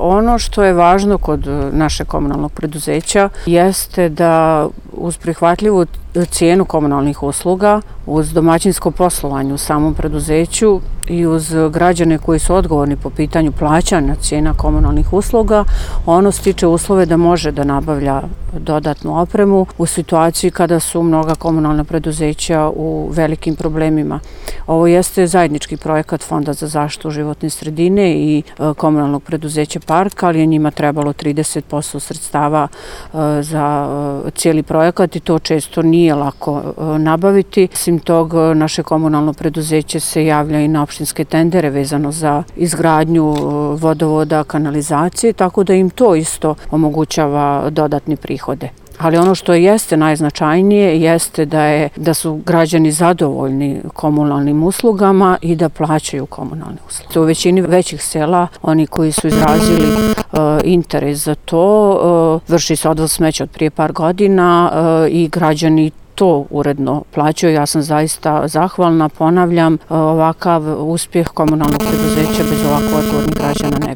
Ono što je važno kod našeg komunalnog preduzeća jeste da uz prihvatljivu cijenu komunalnih usluga, uz domaćinsko poslovanje u samom preduzeću i uz građane koji su odgovorni po pitanju plaćanja cijena komunalnih usluga, ono stiče uslove da može da nabavlja dodatnu opremu u situaciji kada su mnoga komunalna preduzeća u velikim problemima. Ovo jeste zajednički projekat Fonda za zaštitu životne sredine i komunalnog preduzeća Park, ali je njima trebalo 30% sredstava za cijeli projekat i to često nije lako nabaviti. Osim tog, naše komunalno preduzeće se javlja i na opštinske tendere vezano za izgradnju vodovoda, kanalizacije, tako da im to isto omogućava dodatni prihode. Ali ono što jeste najznačajnije jeste da su građani zadovoljni komunalnim uslugama i da plaćaju komunalne usluge. U većini većih sela oni koji su izrazili interes za to, vrši se odvoz smeća od prije par godina i građani to uredno plaćaju. Ja sam zaista zahvalna, ponavljam, ovakav uspjeh komunalnog preduzeća bez ovako odgovornih građana ne bi.